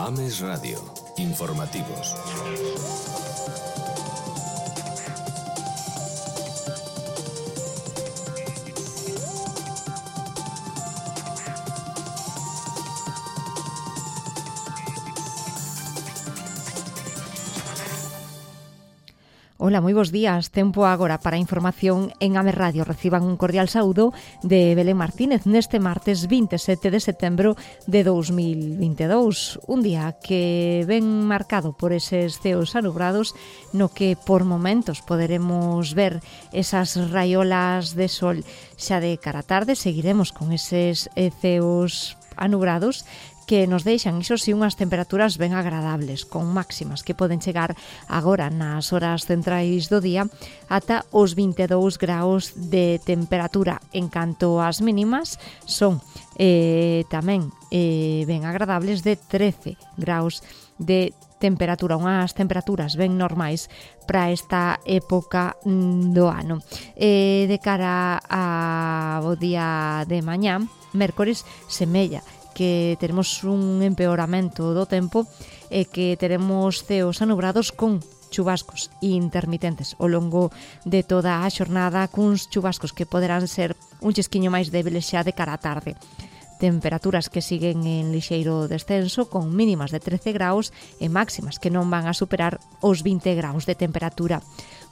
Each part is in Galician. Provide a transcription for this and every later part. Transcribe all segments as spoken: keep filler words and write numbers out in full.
Ames Radio. Informativos. Ola, moi bons días. Tempo agora para a información en Ames Radio. Reciban un cordial saúdo de Belén Martínez neste martes vinte e sete de setembro de dous mil vinte e dous. Un día que ven marcado por eses ceos anubrados no que por momentos poderemos ver esas raiolas de sol. Xa de cara a tarde seguiremos con eses ceos anubrados que nos deixan, iso si, unhas temperaturas ben agradables, con máximas que poden chegar agora nas horas centrais do día ata os vinte e dous graus de temperatura. En canto ás mínimas, son eh, tamén eh, ben agradables de trece graus de temperatura, unhas temperaturas ben normais para esta época do ano. Eh, de cara ao día de mañá, mércores, semella que teremos un empeoramento do tempo e que teremos ceos anubrados con chubascos intermitentes ao longo de toda a xornada, cuns chubascos que poderán ser un chisquiño máis débiles xa de cara á tarde. Temperaturas que siguen en lixeiro descenso con mínimas de trece graus e máximas que non van a superar os vinte graus de temperatura.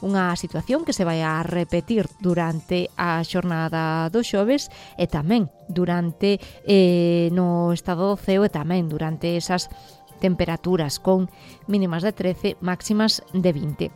Unha situación que se vai a repetir durante a xornada do xoves e tamén durante eh, no estado do ceo e tamén durante esas temperaturas con mínimas de trece, máximas de vinte.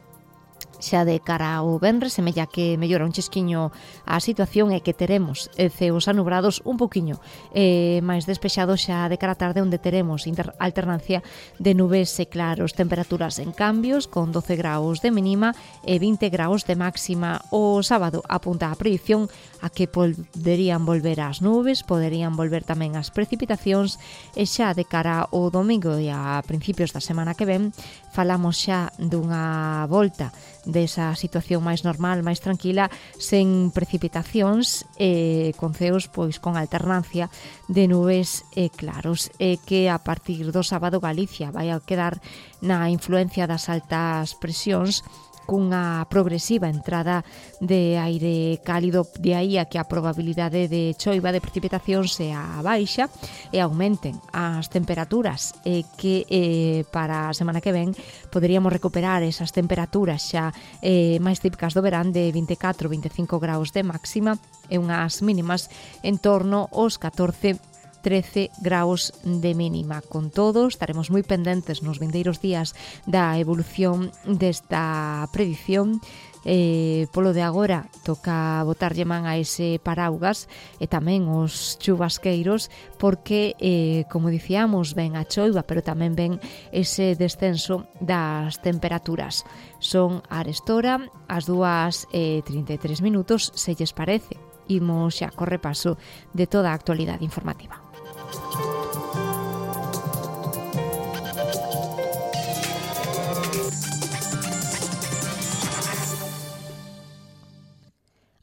Xa de cara ao venres, semella que mellora un chisquiño a situación e que teremos ceos anubrados un poquinho eh, máis despexados xa de cara a tarde, onde teremos inter- alternancia de nubes e claros, temperaturas en cambios con doce graus de mínima e vinte graus de máxima. O sábado apunta a predición a que poderían volver as nubes, poderían volver tamén as precipitacións e xa de cara ao domingo e a principios da semana que ven falamos xa dunha volta desa situación máis normal, máis tranquila, sen precipitacións e con ceos pois con alternancia de nubes e claros, e que a partir do sábado Galicia vai a quedar na influencia das altas presións cunha progresiva entrada de aire cálido, de aí a que a probabilidade de choiva, de precipitación sea baixa e aumenten as temperaturas e que eh, para a semana que ven poderíamos recuperar esas temperaturas xa eh, máis típicas do verán de vinte e catro a vinte e cinco graus de máxima e unhas mínimas en torno aos catorce trece graus de mínima. Con todo, estaremos moi pendentes nos vindeiros días da evolución desta predición. Eh, polo de agora toca botarlle man a ese paraugas e tamén os chubasqueiros porque, eh, como dicíamos, ven a choiva, pero tamén ven ese descenso das temperaturas. Son a arestora as dúas e trinta e tres minutos, se lles parece. Imos xa co repaso de toda a actualidade informativa.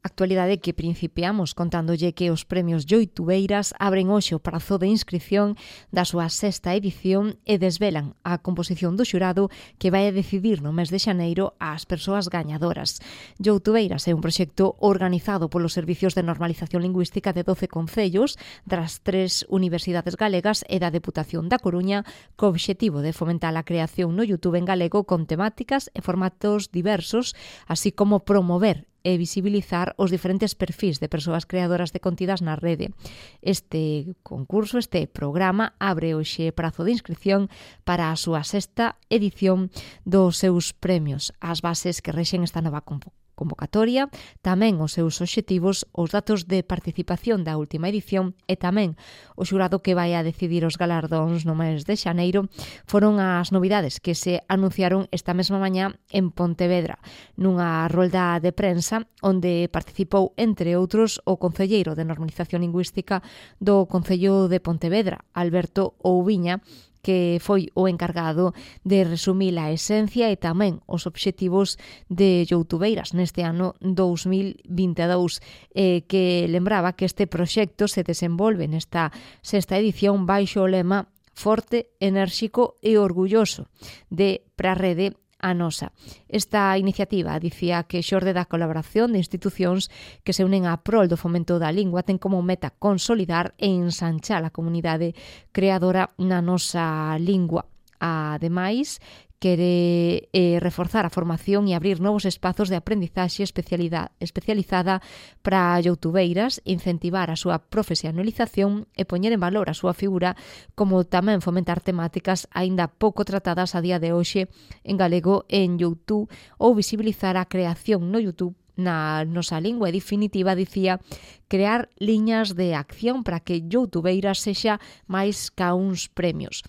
Actualidade que principiamos contándolle que os premios Youtubeiras abren hoxe o prazo de inscripción da súa sexta edición e desvelan a composición do xurado que vai a decidir no mes de xaneiro as persoas gañadoras. Youtubeiras é un proxecto organizado polos Servicios de Normalización Lingüística de doce concellos das tres universidades galegas e da Deputación da Coruña, co obxectivo de fomentar a creación no YouTube en galego con temáticas e formatos diversos, así como promover e visibilizar os diferentes perfís de persoas creadoras de contidas na rede. Este concurso, este programa, abre hoxe prazo de inscripción para a súa sexta edición dos seus premios. As bases que rexen esta nova convocatoria, tamén os seus obxectivos, os datos de participación da última edición e tamén o xurado que vai a decidir os galardóns no mes de xaneiro foron as novidades que se anunciaron esta mesma mañá en Pontevedra, nunha rolda de prensa onde participou, entre outros, o concelleiro de Normalización Lingüística do Concello de Pontevedra, Alberto Oubiña, que foi o encargado de resumir a esencia e tamén os obxectivos de Youtubeiras neste ano dous mil vinte e dous, eh, que lembraba que este proxecto se desenvolve nesta sexta edición baixo o lema forte, enérxico e orgulloso de para a rede a nosa. Esta iniciativa dicía que xorde da colaboración de institucións que se unen a prol do fomento da lingua ten como meta consolidar e ensanchar a comunidade creadora na nosa lingua. Ademais, quere eh, reforzar a formación e abrir novos espazos de aprendizaxe especializada para youtubeiras, incentivar a súa profesionalización e poñer en valor a súa figura, como tamén fomentar temáticas aínda pouco tratadas a día de hoxe en galego en YouTube ou visibilizar a creación no YouTube na nosa lingua. E definitiva, dicía, crear liñas de acción para que youtubeiras sexa máis ca uns premios.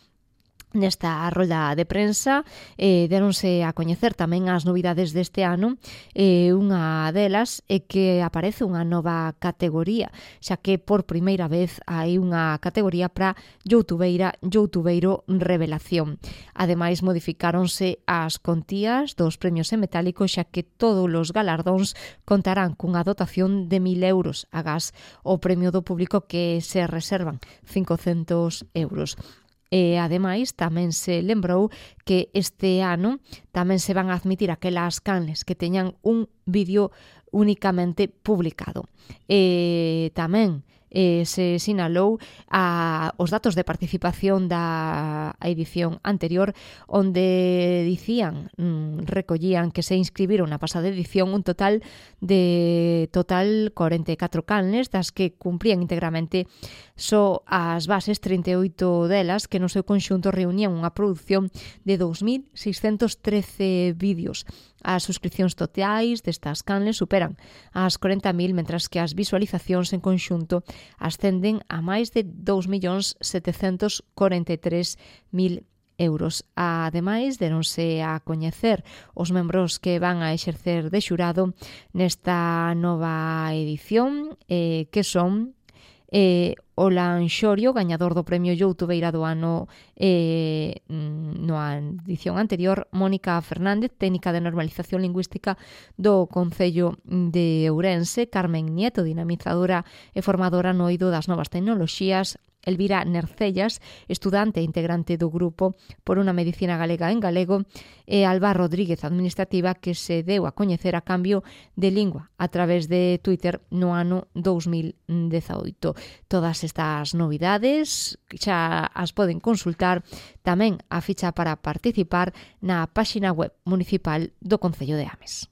Nesta rolda de prensa eh, deronse a coñecer tamén as novidades deste ano. Eh, unha delas é que aparece unha nova categoría, xa que por primeira vez hai unha categoría para youtubeira, youtubeiro revelación. Ademais, modificáronse as contías dos premios en metálico, xa que todos os galardóns contarán cunha dotación de mil euros, agás o premio do público que se reservan cincocentos euros. E, ademais, tamén se lembrou que este ano tamén se van a admitir aquelas canles que teñan un vídeo únicamente publicado. E tamén eh, se sinalou a, os datos de participación da edición anterior, onde dicían, mm, recollían que se inscribiron na pasada edición un total de total corenta e catro canles, das que cumprían íntegramente só as bases, trinta e oito delas, que no seu conxunto reunían unha produción de dous mil seiscentos trece vídeos. As suscripcións totais destas canles superan as corenta mil, mentras que as visualizacións en conxunto ascenden a máis de dous millóns setecentos corenta e tres mil euros. Ademais, deronse a coñecer os membros que van a exercer de xurado nesta nova edición, eh, que son eh, Olan Xorio, gañador do premio Youtubeira do ano eh, na edición anterior, Mónica Fernández, técnica de normalización lingüística do Concello de Ourense, Carmen Nieto, dinamizadora e formadora no eido das novas tecnoloxías, Elvira Nercellas, estudante e integrante do grupo Por unha Medicina Galega en Galego, e Alba Rodríguez, administrativa, que se deu a coñecer a cambio de lingua a través de Twitter no ano dous mil dezaoito. Todas estas novidades xa as poden consultar tamén a ficha para participar na páxina web municipal do Concello de Ames.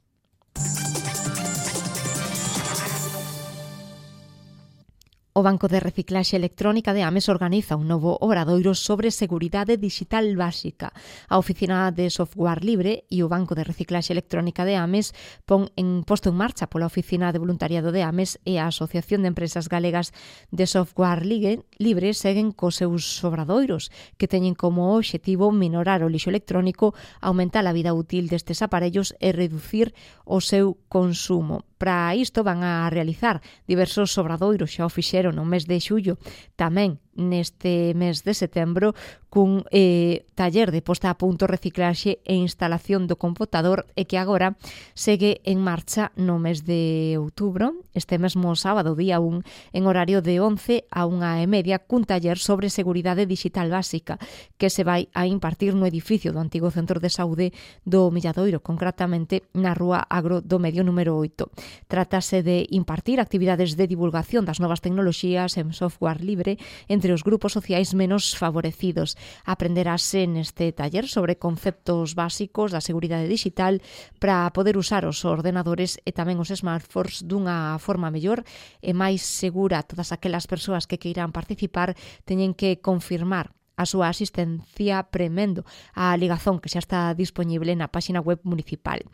O Banco de Reciclaxe Electrónica de Ames organiza un novo obradoiro sobre seguridade digital básica. A Oficina de Software Libre e o Banco de Reciclaxe Electrónica de Ames pon en posto en marcha pola Oficina de Voluntariado de Ames e a Asociación de Empresas Galegas de Software Libre seguen cos seus obradoiros, que teñen como obxectivo minorar o lixo electrónico, aumentar a vida útil destes aparellos e reducir o seu consumo. Para isto van a realizar diversos obradoiros, xa o fixeron no mes de xullo, tamén neste mes de setembro, cun eh, taller de posta a punto, reciclaxe e instalación do computador, e que agora segue en marcha no mes de outubro, este mesmo sábado, día un, en horario de once a unha e media, cun taller sobre seguridade digital básica, que se vai a impartir no edificio do antigo Centro de Saúde do Milladoiro, concretamente na Rúa Agro do Medio número oito. Trátase de impartir actividades de divulgación das novas tecnoloxías en software libre entre os grupos sociais menos favorecidos. Aprenderase neste taller sobre conceptos básicos da seguridade digital para poder usar os ordenadores e tamén os smartphones dunha forma mellor e máis segura. Todas aquelas persoas que queiran participar teñen que confirmar a súa asistencia premendo a ligazón que xa está disponible na páxina web municipal.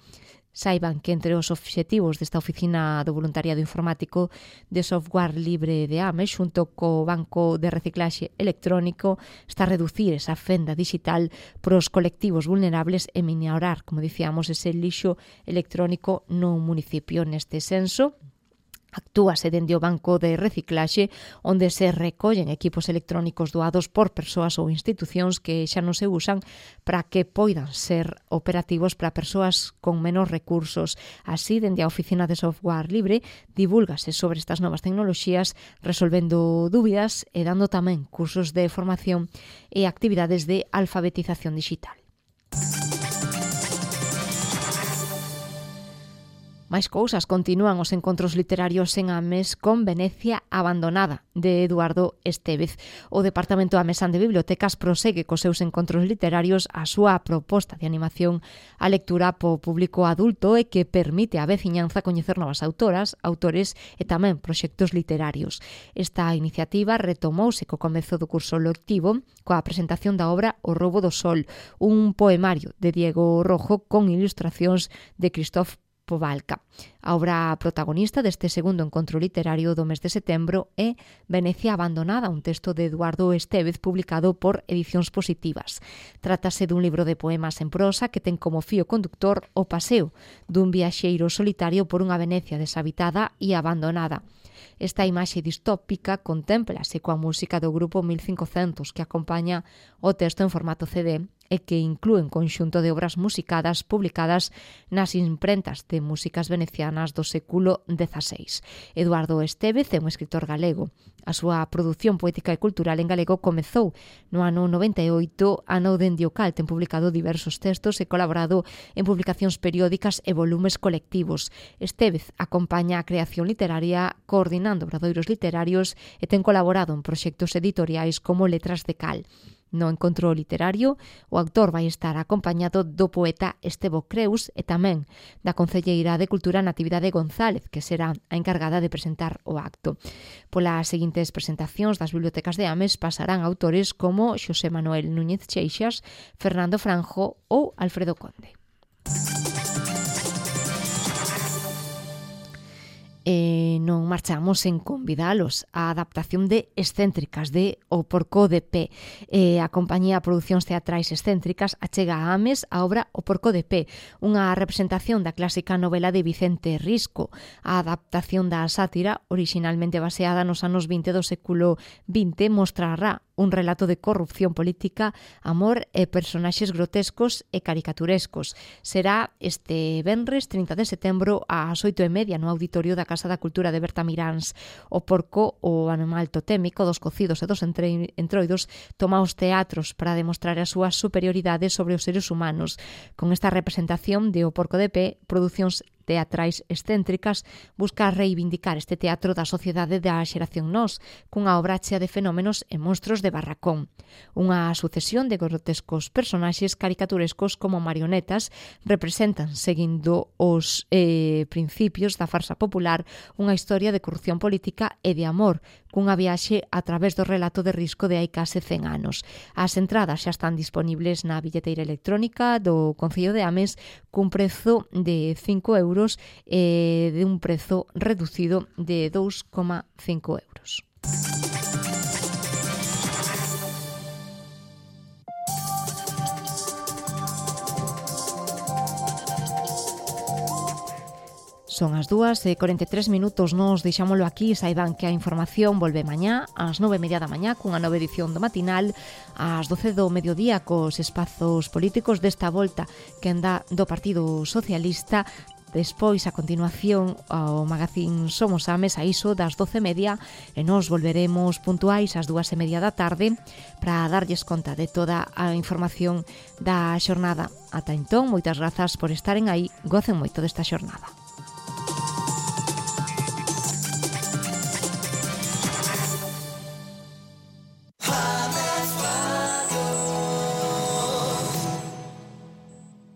Saiban que entre os obxectivos desta Oficina do Voluntariado Informático de Software Libre de Ames, xunto co Banco de Reciclaxe Electrónico, está a reducir esa fenda digital pros colectivos vulnerables e minorar, como dicíamos, ese lixo electrónico no municipio. Neste senso, Actúase dende o banco de reciclaxe onde se recollen equipos electrónicos doados por persoas ou institucións que xa non se usan para que poidan ser operativos para persoas con menos recursos. Así, dende a Oficina de Software Libre, divúlgase sobre estas novas tecnoloxías, resolvendo dúbidas e dando tamén cursos de formación e actividades de alfabetización digital. Máis cousas, continúan os encontros literarios en Ames con Venecia abandonada, de Eduardo Estévez. O Departamento amesán de Bibliotecas prosegue cos seus encontros literarios a súa proposta de animación á lectura po público adulto e que permite á veciñanza coñecer novas autoras, autores e tamén proxectos literarios. Esta iniciativa retomouse co comezo do curso lectivo coa presentación da obra O roubo do sol, un poemario de Diego Rojo con ilustracións de Christoph Povalka. A obra protagonista deste segundo encontro literario do mes de setembro é Venecia abandonada, un texto de Eduardo Estévez publicado por Edicións Positivas. Trátase dun libro de poemas en prosa que ten como fío conductor o paseo dun viaxeiro solitario por unha Venecia deshabitada e abandonada. Esta imaxe distópica contémplase coa música do grupo mil cincocentos que acompaña o texto en formato C D e que inclúe un conxunto de obras musicadas publicadas nas imprentas de músicas venecianas do século dezaseis. Eduardo Estévez é un escritor galego. A súa produción poética e cultural en galego comezou no ano noventa e oito, ano dende o cal ten publicado diversos textos e colaborado en publicacións periódicas e volumes colectivos. Estévez acompaña a creación literaria coordinando obradoiros literarios e ten colaborado en proxectos editoriais como Letras de Cal. No encontro literario, o autor vai estar acompañado do poeta Estevo Creus e tamén da concelleira de Cultura Natividade González, que será a encargada de presentar o acto. Polas seguintes presentacións das bibliotecas de Ames pasarán autores como Xosé Manuel Núñez Cheixas, Fernando Franjo ou Alfredo Conde. E non marchamos en convidalos á adaptación de Excéntricas de O Porco de Pé. E a compañía Producións Teatrais Excéntricas achega a Ames a obra O Porco de Pé, unha representación da clásica novela de Vicente Risco. A adaptación da sátira, originalmente baseada nos anos vinte do século vinte, mostrará un relato de corrupción política, amor e personaxes grotescos e caricaturescos. Será este venres trinta de setembro ás oito e media no auditorio da Casa da Cultura de Berta Miráns. O porco, o animal totémico dos cocidos e dos entroidos, toma os teatros para demostrar a súa superioridade sobre os seres humanos. Con esta representación de O Porco de Pé, Producións Teatrais Excéntricas busca reivindicar este teatro da sociedade da xeración nós, cunha obra chea de fenómenos e monstros de barracón. Unha sucesión de grotescos personaxes caricaturescos como marionetas representan, seguindo os eh, principios da farsa popular, unha historia de corrupción política e de amor, cunha viaxe a través do relato de Risco de hai case cen anos. As entradas xa están disponibles na billeteira electrónica do Concello de Ames cun prezo de cinco euros e de un prezo reducido de dous coma cinco euros. Son as dúas e corenta e tres minutos, nos deixámolo aquí. Saiban que a información volve mañá ás nove e media da mañá cunha nova edición do matinal, ás doce do mediodía cos espazos políticos desta volta que anda do Partido Socialista. Despois, a continuación, ao magazín Somos Ames a iso das doce e media e nos volveremos puntuais ás dúas e media da tarde para darlles conta de toda a información da xornada. Ata entón, moitas grazas por estaren aí, gocen moito desta xornada.